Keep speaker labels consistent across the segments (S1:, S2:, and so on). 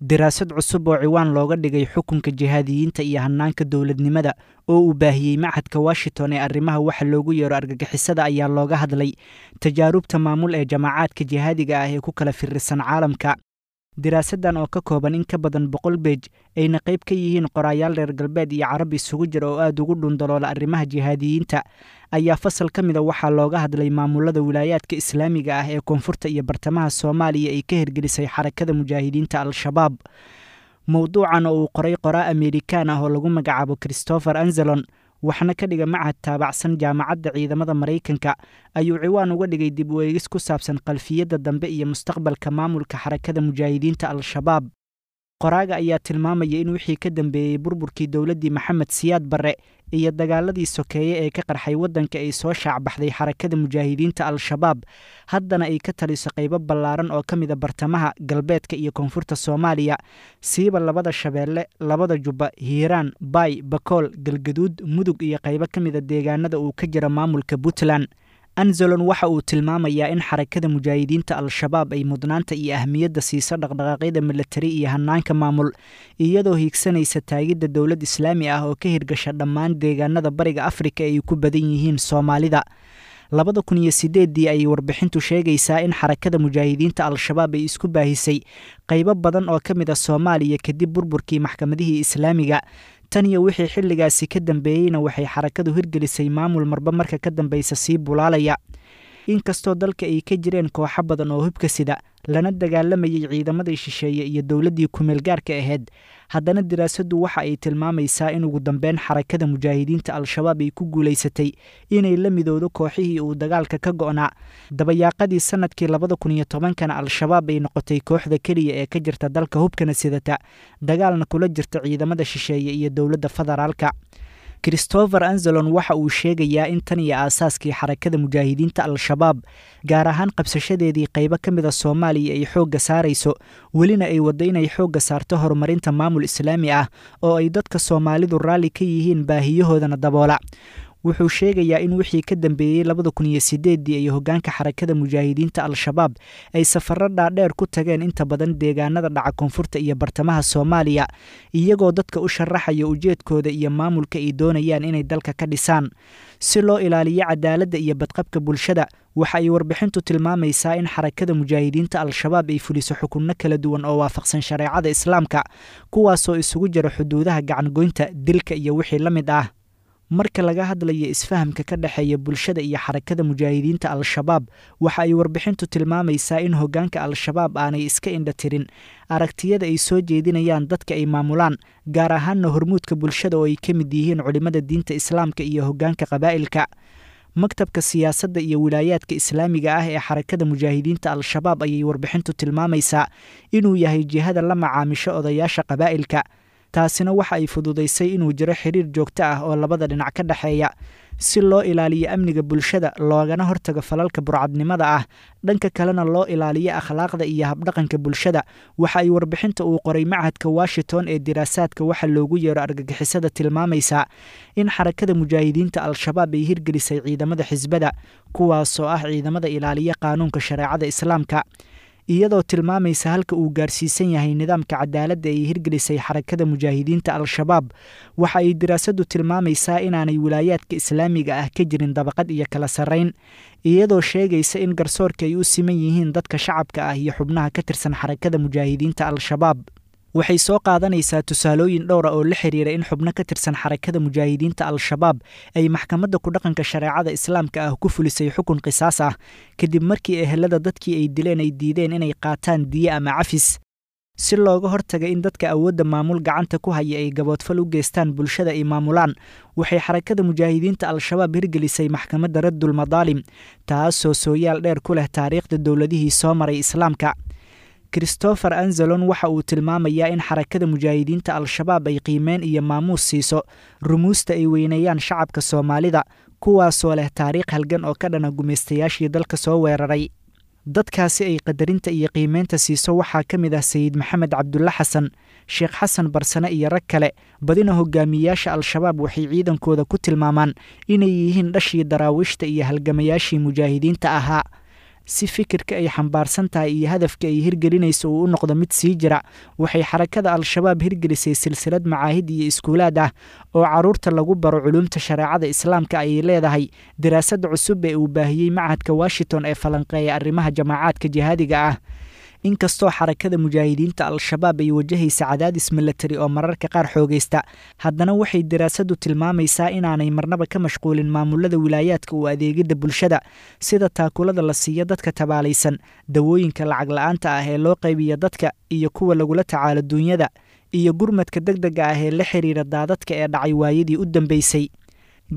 S1: Daraasad cusub oo ciwaan looga dhigay xukunka jihaadiyiinta iyo hannaanka dowladnimada oo uu baahiyey Machadka Washington ee arrimaha waxa loogu yeero argagixisada ayaa looga hadlay tajaarubta maamul ee jamaacaadka jihaadiga ah ee ku kala firirsan caalamka. Daraasaddan oo ka kooban in ka badan 100 beej, ayna qayb ka yihiin qoraayaal reer galbeed iyo carab isugu jira oo aad ugu dhundaloola arrimaha jihaadiyiinta, ayaa fasal ka mida waxaa looga hadlay maamulada wilaayaadka islaamiga ah ee koonfurta iyo bartamaha Soomaaliya ay ka hirgelisay Xarakada Mujaahidiinta Al-Shabaab. Mowduucan oo uu qoray qoraa Ameerikaan ah oo lagu magacaabo Christopher Anzelon, waxna ka dhiga machad taabacsan Jaamacadda Ciidamada Maraykanka, ayuu ciwaan uga dhigay dib u eegis ku saabsan khalfiyadda dambe iyo mustaqbalka maamulka Xarakada Mujaahidiinta Al-Shabaab. Qoraaga ayaa tilmaamaya in wixii ka dambeeyey burburkii dowladdii Maxamed Siyaad Barre iyo dagaaladii sokeeye ee ka qarxay waddanka ay soo shaacbaxday Xarakada Mujaahidiinta Al-Shabaab, haddana ay ka taliso qaybo ballaaran oo ka mida bartamaha, galbeedka iyo koonfurta Soomaaliya, siiba labada Shabeelle, labada Jubba, Hiiraan, Baay, Bakool, Galgaduud, Mudug iyo qaybo ka mida deegaanada uu ka jira maamulka Puntland. Anzelon waxa uu tilmaamayaa in Xarakada Mujaahidiinta Al-Shabaab ay mudnaanta iyo ahmiyadda siiso dhaqdhaqaaqyada milatari iyo hannaanka maamul, iyadoo hiigsanaysa taagidda dowlad islaami ah oo ka hirgasha dhammaan deegaanada Bariga Afrika ay ku badan yihiin Soomaalida. 2008-dii ayay warbixintu sheegaysaa in Xarakada Mujaahidiinta Al-Shabaab ay isku baahisay qaybo badan oo ka mid a Soomaaliya kadib burburkii maxkamadihii islaamiga. Tan iyo wixii xilligaasi ka dambeeyeyna waxay xarakadu hirgelisay maamul marba marka ka dambeysa sii bulaalaya. Inkastoo dalka ay ka jireen kooxo badan oo hubka sida, lana dagaalamayay ciidamadii shisheeye iyo dowladdii kumeel gaarka ahayd, haddana daraasaddu waxa ay tilmaamaysaa in ugu dambeyn Xarakada Mujaahidiinta Al-Shabaab ay ku guulaysatay inay la midowdo kooxihii uu dagaalka ka go'naa. Dabayaaqadii sannadkii 2010-kana Al-Shabaab ay noqotay kooxda keliya ee ka jirta dalka hubkana sidata, dagaalna kula jirta ciidamada shisheeye iyo dowladda federaalka. Christopher Anzelon waxa uu sheegayaa in tan iyo aasaaskii Xarakada Mujaahidiinta Al-Shabaab, gaar ahaan qabsashadeedii qaybo ka mida Soomaaliya, ay xoogga saarayso, welina ay waddo inay xoogga saarto horumarinta maamul islaami ah oo ay dadka Soomaalidu raalli ka yihiin, baahiyahoodana daboola. Wuxuu sheegayaa in wixii ka dambeeyey 2008-dii ay hoggaanka Xarakada Mujaahidiinta Al-Shabaab ay safarro dhaadheer ku tageen inta badan deegaanada dhaca koonfurta iyo bartamaha Soomaaliya, iyagoo dadka u sharaxaya ujeedkooda iyo maamulka ay doonayaan inay dalka ka dhisaan si loo ilaaliyo cadaaladda iyo badqabka bulshada. Waxa ay warbixintu tilmaamaysaa in Xarakada Mujaahidiinta Al-Shabaab ay fuliso xukunno kala duwan oo waafaqsan shareecada islaamka, kuwaasoo isugu jira xuduudaha gacangoynta, dilka iyo wixii la mid ah. Marka laga hadlayo isfahamka ka dhexeeya bulshada iyo Xarakada Mujaahidiinta Al-Shabaab, waxa ay warbixintu tilmaamaysaa in hoggaanka Al-Shabaab aanay iska indha tirin aragtiyada ay soo jeedinayaan dadka ay maamulaan, gaar ahaanna hormuudka bulshada oo ay ka mid yihiin culimmada diinta islaamka iyo hoggaanka qabaa'ilka. Maktabka siyaasadda iyo wilaayaadka islaamiga ah ee Xarakada Mujaahidiinta Al-Shabaab ayay warbixintu tilmaamaysaa inuu yahay jihada la macaamisho odayaasha qabaa'ilka. Taasina waxa ay fududaysay inuu jiro xiriir joogto ah oo labada dhinac ka dhexeeya si loo ilaaliyo amniga bulshada, loogana hortago falalka burcadnimada ah, dhanka kalena loo ilaaliyo akhlaaqda iyo habdhaqanka bulshada. Waxa ay warbixinta uu qoray Machadka Washington ee diraasaadka waxa loogu yeero argagixisada tilmaamaysaa in Xarakada Mujaahidiinta Al-Shabaab ay hirgelisay ciidamada xisbada, kuwaasoo ah ciidamada ilaaliya qaanuunka shareecada islaamka, iyadoo tilmaamaysa halka uu gaarsiisan yahay nidaamka cadaaladda ay hirgelisay Xarakada Mujaahidiinta Al-Shabaab. Waxa ay daraasaddu tilmaamaysaa inaanay wilaayaadka islaamiga ah ka jirin dabaqad iyo kala sarrayn, iyadoo sheegaysa in garsoorka ay u siman yihiin dadka shacabka ah iyo xubnaha ka tirsan Xarakada Mujaahidiinta Al-Shabaab. Waxay soo qaadanaysaa tusaalooyin dhowra oo la xiriira in xubno ka tirsan Xarakada Mujaahidiinta Al-Shabaab ay maxkamadda ku dhaqanka shareecada islaamka ah ku fulisay xukun qisaas ah kadib markii ehelada dadkii ay dileen ay diideen inay qaataan diye ama cafis. Si looga hortaga in dadka awoodda maamul gacanta ku haya ay gaboodfal u geystaan bulshada ay maamulaan, waxay Xarakada Mujaahidiinta Al-Shabaab hirgelisay maxkamadda Raddul Madaalim, taasoo sooyaal dheer ku leh taariikhda dowladihii soo maray islaamka. Christopher Anzelon waxa uu tilmaamayaa in Xarakada Mujaahidiinta Al-Shabaab ay qiimeyn iyo maamuus siiso rumuusta ay weyneeyaan shacabka Soomaalida, kuwaasoo leh taariikh halgan oo ka dhana gumaystayaashii dalka soo weeraray. Dadkaasi ay qadarinta iyo qiimeynta siiso waxaa ka mid ah Sayid Maxamed Cabdulle Xasan, Sheekh Xasan Barsane iyo rag kale. Badina hogaamiyayaasha Al-Shabaab waxay ciidankooda ku tilmaamaan inay yihiin dhashii daraawiishta iyo halgamayaashii mujaahidiinta ahaa. Si fikirka ay xambaarsan tahay iyo hadafka ay hirgelinayso uu u noqdo mid sii jira, waxay xarakada Al-Shabaab hirgelisay silsilad macaahid iyo iskuulaad ah oo carruurta lagu baro culuumta shareecada Islaamka ayay leedahay daraasad cusub ee uu baahiyey machadka Washington ee falanqeeya arrimaha jamacaadka jihaadiga ah. Inkastoo xarakada mujaahidiinta Al-Shabaab ay wajahaysa cadaadis milatari oo mararka qaar xoogaysta, haddana waxay daraasaddu tilmaamaysaa inaanay marnaba ka mashquulin maamulada wilaayaadka u adeegidda bulshada, sida taakulada la siiyo dadka tabaalaysan, dawooyinka lacag la'aanta ah ee loo qaybiyo dadka iyo kuwa lagula tacaalo duunyada, iyo gurmadka degdega ah ee la xiriira daadadka ee dhacay waayadii u dambeysay.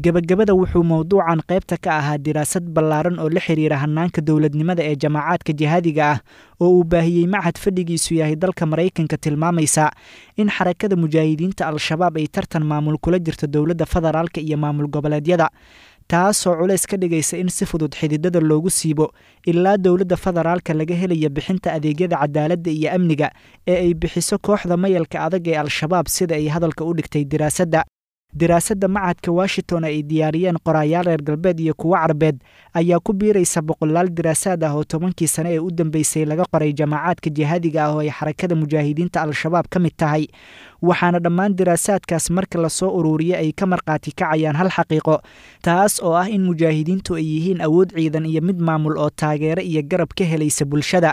S1: Gebagabada, wuxuu mowduucan qaybta ka ahaa diraasad ballaaran oo la xiriira hannaanka dowladnimada ee jamacaadka jihaadiga ah oo uu baahiyey machad fadhigiisu yahay dalka Maraykanka, tilmaamaysa in xarakada mujaahidiinta Al-Shabaab ay tartan maamul kula jirto dowladda federaalka iyo maamul goboleedyada, taasoo culays ka dhigaysa in si fudud xididada loogu siibo ilaa dowladda federaalka laga helayo bixinta adeegyada cadaaladda iyo amniga ee ay bixiso kooxda mayalka adag ee Al-Shabaab, sida ay hadalka u dhigtay diraasadda. Daraasadda machadka Washington ay diyaariyeen qoraayaal reer galbeed iyo kuwo carbeed ayaa ku biiraysa boqolaal diraasaad ah oo 10kii sane ee u dambeysay laga qoray jamacaadka jihaadiga ah oo ay xarakada mujaahidiinta Al-Shabaab ka mid tahay, waxaana dhammaan diraasaadkaas marka lasoo uruuriyo ay ka markhaati kacayaan hal xaqiiqo, taas oo ah in mujaahidiintu ay yihiin awood ciidan iyo mid maamul oo taageero iyo garab ka helaysa bulshada.